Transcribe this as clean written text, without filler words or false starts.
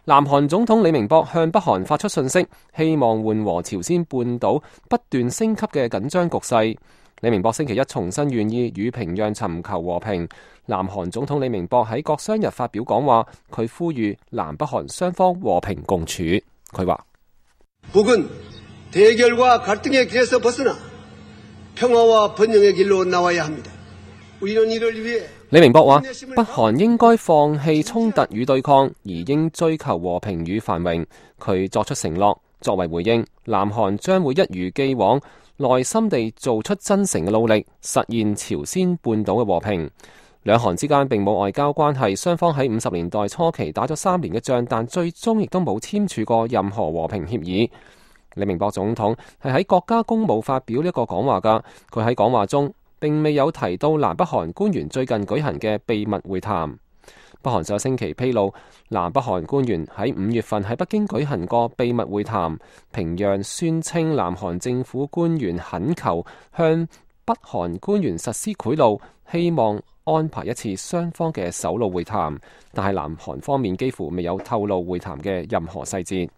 南韓總統李明博向北韓發出訊息，希望緩和朝鮮半島不斷升級嘅緊張局勢。李明博星期一重申願意與平壤尋求和平。南韓總統李明博喺國殤日發表講話，佢呼籲南北韓雙方和平共處。佢話：북은 대결과 갈등의 길에서 벗어나 평화와 번영의 길로 나와야 합니다. 우리는 이를 위해李明博話：北韓應該放棄衝突與對抗，而應追求和平與繁榮。佢作出承諾，作為回應，南韓將會一如既往，耐心地做出真誠嘅努力，實現朝鮮半島嘅和平。兩韓之間並冇外交關係，雙方喺50年代初期打咗3年嘅仗，但最終亦都冇簽署過任何和平協議。李明博總統係喺國家公務發表呢一個講話㗎，佢喺講話中並未有提到南北韓官員最近舉行嘅秘密會談。北韓上星期披露，南北韓官員喺5月份喺北京舉行過秘密會談。平壤宣稱南韓政府官員懇求向北韓官員實施賄賂，希望安排一次雙方嘅首腦會談，但係南韓方面幾乎未有透露會談嘅任何細節。